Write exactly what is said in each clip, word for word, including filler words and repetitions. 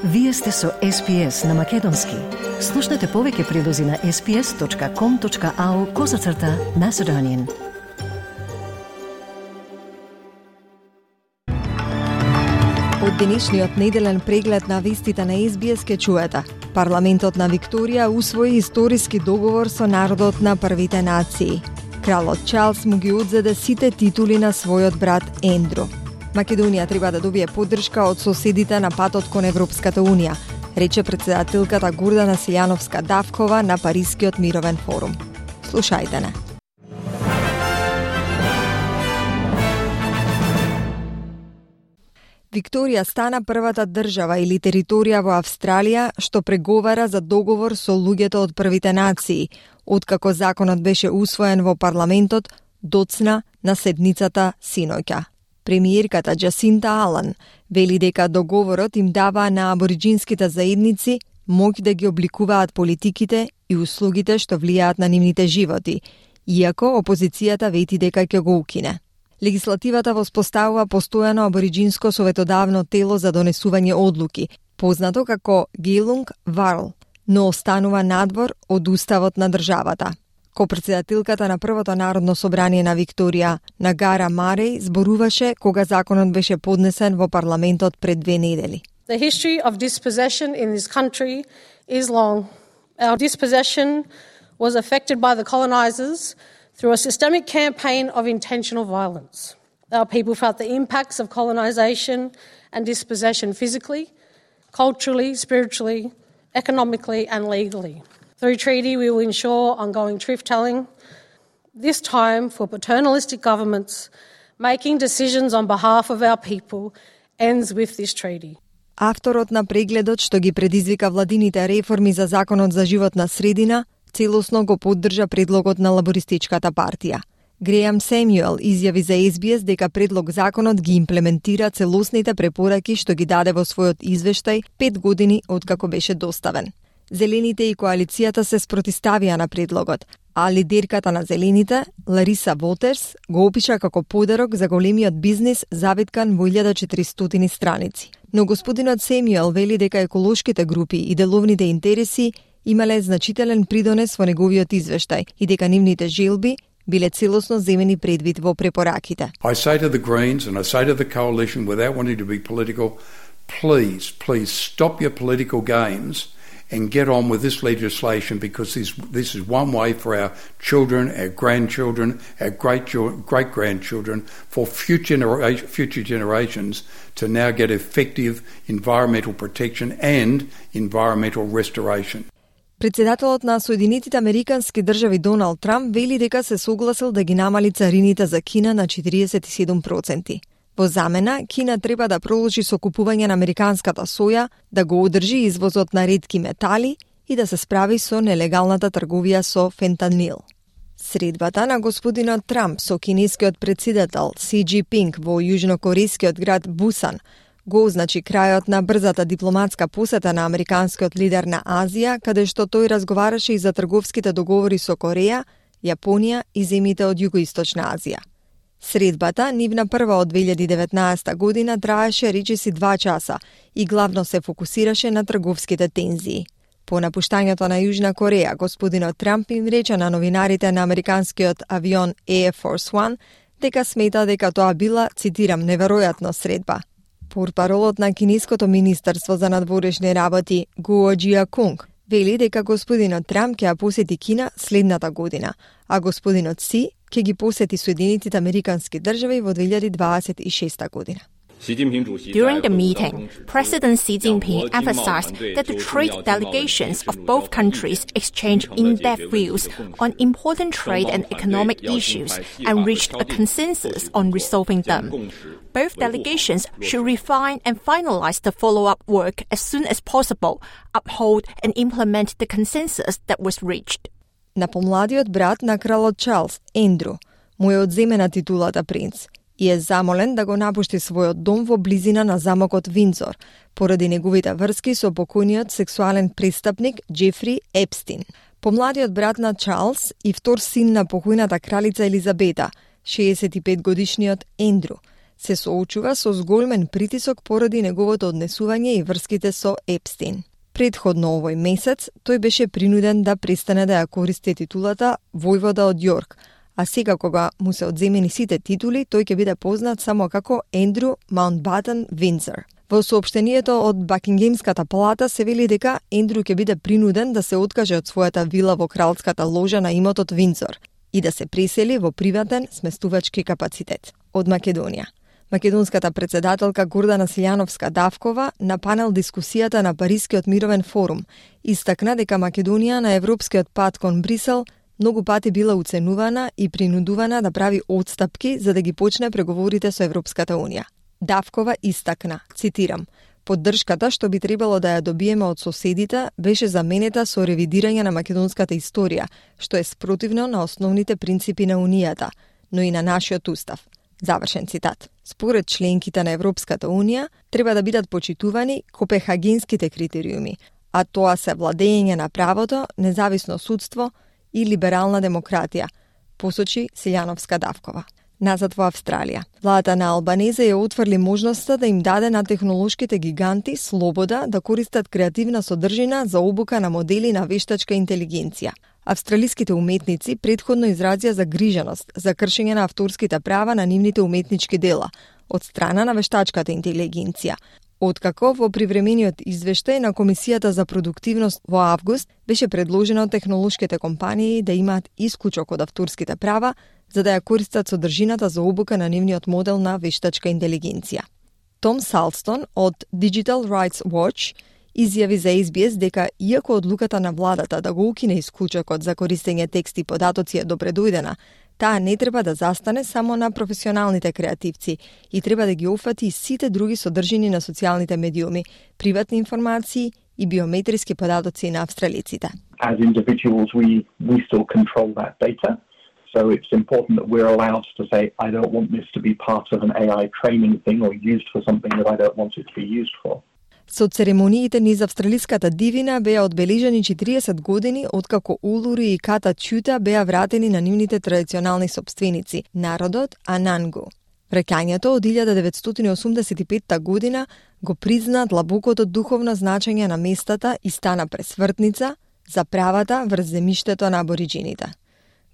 Вие сте со Ес Би Ес на Македонски. Слушнете повеќе прилози на ес би ес точка ком точка ау козацрта Macedonian. Од денешниот неделен преглед на вестите на Ес Би Ес ке чуете. Парламентот на Викторија усвои историски договор со народот на првите нации. Кралот Чарлс му ги одзеде сите титули на својот брат Ендру. Македонија треба да добие поддршка од соседите на патот кон Европската Унија, рече председателката Гордана Силјановска-Давкова на Парискиот мировен форум. Слушајте не. Викторија стана првата држава или територија во Австралија што преговара за договор со луѓето од првите нации, откако законот беше усвоен во парламентот, доцна на седницата синоќа. Премиерката Джасинта Алан вели дека договорот им дава на абориџинските заедници моќ да ги обликуваат политиките и услугите што влијаат на нивните животи, иако опозицијата вети дека ќе го укине. Легислативата воспоставува постојано абориџинско советодавно тело за донесување одлуки, познато како Гелунг Варл, но останува надвор од уставот на државата. Ко-председателката на првото народно собрание на Викторија, Нагара Мареј, зборуваше кога законот беше поднесен во парламентот пред две недели. The history of dispossession in this country is long. Our dispossession was affected by the colonizers through a systemic campaign of intentional violence. Our people felt the impacts of colonization and dispossession physically, culturally, spiritually, economically and legally. Through treaty, we will ensure ongoing truth-telling, this time for paternalistic governments making decisions on behalf of our people ends with this treaty. Авторот на прегледот што ги предизвика владините реформи за законот за животна средина, целосно го поддржа предлогот на лабористичката партија. Греам Семјуел изјави за Ес Би Ес дека предлог законот ги имплементира целосните препораки што ги даде во својот извештај пет години откако беше доставен. Зелените и коалицијата се спротиставија на предлогот, а лидерката на Зелените, Лариса Вотерс, го опиша како подарок за големиот бизнис завиткан во илјада и четиристотини страници. Но господинот Семјуел вели дека еколошките групи и деловните интереси имале значителен придонес во неговиот извештај и дека нивните желби биле целосно земени предвид во препораките. I say to the Greens and I say to the coalition without wanting to be political, please, please stop your political games and get on with this legislation because this, this is one way for our children, our grandchildren, our great great grandchildren, for future genera- future generations to now get effective environmental protection and environmental restoration. Председателот на Соединетите Американски држави Доналд Трамп вели дека се согласил да ги намали царините за Кина на четириесет и седум проценти. Во замена, Кина треба да продолжи со купување на американската соја, да го одржи извозот на ретки метали и да се справи со нелегалната трговија со фентанил. Средбата на господинот Трамп со кинескиот председател Си Џинпинг во јужнокорејскиот град Бусан го означи крајот на брзата дипломатска посета на американскиот лидер на Азија, каде што тој разговараше и за трговските договори со Кореја, Јапонија и земјите од Југоисточна Азија. Средбата, нивна прва од две илјади и деветнаесета година, траеше речиси два часа и главно се фокусираше на трговските тензии. По напуштањето на Јужна Кореја, господинот Трамп им рече на новинарите на американскиот авион Air Force One дека смета дека тоа била, цитирам, неверојатна средба. Портпаролот на Кинеското министерство за надворешни работи Гуо Џиакунг вели дека господинот Трамп ќе ја посети Кина следната година, а господинот Си ќе ги посети Соединетите Американски држави во две илјади дваесет и шеста година. During the meeting, President Xi Jinping emphasized that the trade delegations of both countries exchanged in-depth views on important trade and economic issues and reached a consensus on resolving them. Both delegations should refine and finalize the follow-up work as soon as possible, uphold and implement the consensus that was reached. На помладиот брат на кралот Чарлс, Ендру, му е одземена титулата принц и е замолен да го напушти својот дом во близина на замокот Виндзор, поради неговите врски со покојниот сексуален престапник Џефри Епстин. Помладиот брат на Чарлс и втор син на покојната кралица Елизабета, шеесет и пет годишниот Ендру, се соочува со зголемен притисок поради неговото однесување и врските со Епстин. Предходно овој месец, тој беше принуден да престане да ја користи титулата војвода од Јорк, а сега кога му се одземени сите титули, тој ќе биде познат само како Ендрю Маунтбатен Виндзор. Во соопштението од Бакингемската палата се вели дека Ендрю ќе биде принуден да се откаже од својата вила во кралската ложа на имотот Виндзор и да се пресели во приватен сместувачки капацитет. Од Македонија. Македонската председателка Гордана Силјановска-Давкова на панел дискусијата на Парискиот мировен форум истакна дека Македонија на европскиот пат кон Брисел многу пати била уценувана и принудувана да прави отстапки за да ги почне преговорите со Европската Унија. Давкова истакна, цитирам, поддршката што би требало да ја добиеме од соседите беше заменета со ревидирање на македонската историја, што е спротивно на основните принципи на Унијата, но и на нашиот устав. Завршен цитат. Според членките на Европската Унија, треба да бидат почитувани копенхагенските критериуми, а тоа се владење на правото, независно судство и либерална демократија, посочи Силјановска-Давкова. Назад во Австралија. Владата на Албанезе ја отврли можноста да им даде на технолошките гиганти слобода да користат креативна содржина за обука на модели на вештачка интелигенција. Австралиските уметници предходно изразија загриженост за кршење на авторските права на нивните уметнички дела од страна на вештачката интелигенција, откако во привремениот извештај на Комисијата за продуктивност во август беше предложено технолошките компании да имаат исклучок од авторските права за да ја користат содржината за обука на нивниот модел на вештачка интелигенција. Том Салстон од Digital Rights Watch изјави за Ес Би Ес дека иако одлуката на владата да го укине исклучокот за користење текст и податоци е добредојдена, таа не треба да застане само на професионалните креативци и треба да ги офати и сите други содржини на социјалните медиуми, приватни информации и биометриски податоци на австралиците. As individuals, we, we still control that data. So it's important that we're allowed to say, I don't want this to be part of an A I training thing or used for something that I don't want it to be used for. Со церемониите низ австралиската дивина беа одбележани четириесет години откако Улури и Ката Чута беа вратени на нивните традиционални собственици, народот Анангу. Враќањето од илјада деветстотини осумдесет и петта година го призна длабокото духовно значење на местата и стана пресвртница за правата врз земјиштето на абориџините.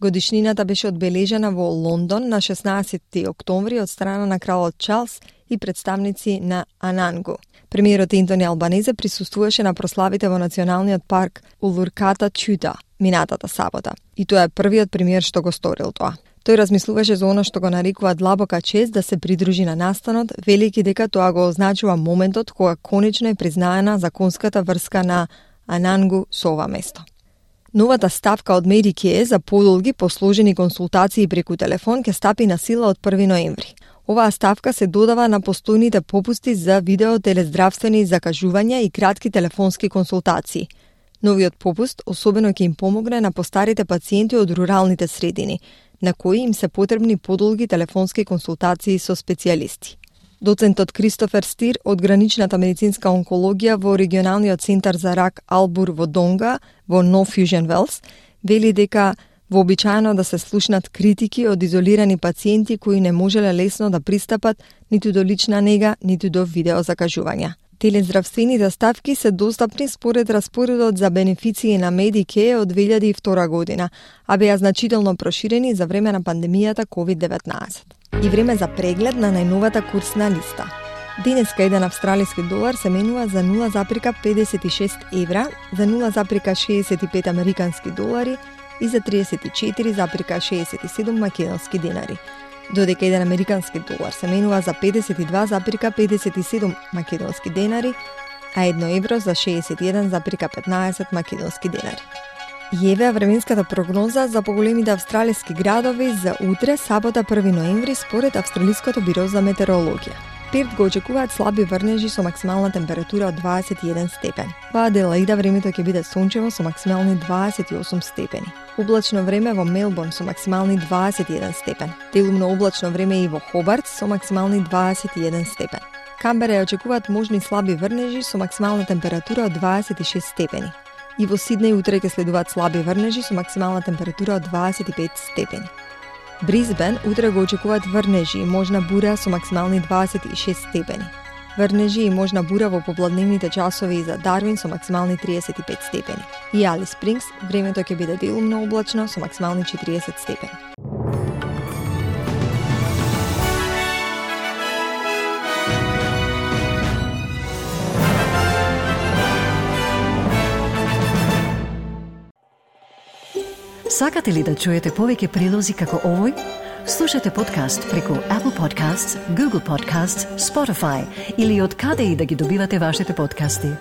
Годишнината беше одбележана во Лондон на шеснаесетти октомври од страна на кралот Чарлс и представници на Анангу. Премиерот Ентони Албанезе присуствуваше на прославите во националниот парк Улур-Ката Чута минатата сабота. И тоа е првиот премиер што го сторил тоа. Тој размислуваше за она што го нарекува длабока чест да се придружи на настанот, велики дека тоа го означува моментот кога конечно е признаена законската врска на Анангу со ова место. Новата ставка од Medicare за подолги посложени консултации преку телефон ќе стапи на сила од први ноември. Оваа ставка се додава на постојните попусти за видео телездравствени закажувања и кратки телефонски консултации. Новиот попуст особено ќе им помогне на постарите пациенти од руралните средини, на кои им се потребни подолги телефонски консултации со специјалисти. Доцентот Кристофер Стир од граничната медицинска онкологија во регионалниот центар за рак Албур во Донга, во Нов Фјужен Велс, вели дека вообичаено да се слушнат критики од изолирани пациенти кои не можеле лесно да пристапат ниту до лична нега, ниту до видео закажувања. Телездравствените ставки се достапни според распоредот за бенефиции на Medicare од две илјади и втора година, а беа значително проширени за време на пандемијата ковид деветнаесет. И време за преглед на најновата курсна листа. Денеска еден австралиски долар се менува за нула запирка педесет и шест евра, за нула запирка шеесет и пет американски долари и за триесет и четири запирка шеесет и седум македонски денари. Додека еден американски долар се менува за педесет и два запирка педесет и седум македонски денари, а едно евро за шеесет и еден запирка петнаесет македонски денари. И еве временската прогноза за поголемите австралиски градови за утре, сабота први ноември, според Австралиското биро за метеорологија. Перт го очекуваат слаби врнежи со максимална температура од дваесет и еден степен. Во Аделаида времето ќе биде сончево со максимални дваесет и осум степени. Облачно време во Мелбурн со максимални дваесет и еден степен. Делумно облачно време и во Хобарт со максимални дваесет и еден степен. Камбера ја очекуваат можни слаби врнежи со максимална температура од дваесет и шест степени. И во Сиднеј утре ќе следуваат слаби врнежи со максимална температура од дваесет и пет степени. Бризбен утре го очекуваат врнежи и можна бура со максимални дваесет и шест степени. Врнежи и можна бура во попладневните часови и за Дарвин со максимални триесет и пет степени. И Алис Спрингс времето ќе биде делумно облачно со максимални четириесет степени. Сакате ли да чуете повеќе прилози како овој? Слушате подкаст преку Apple Podcasts, Google Podcasts, Spotify или од каде и да ги добивате вашите подкасти.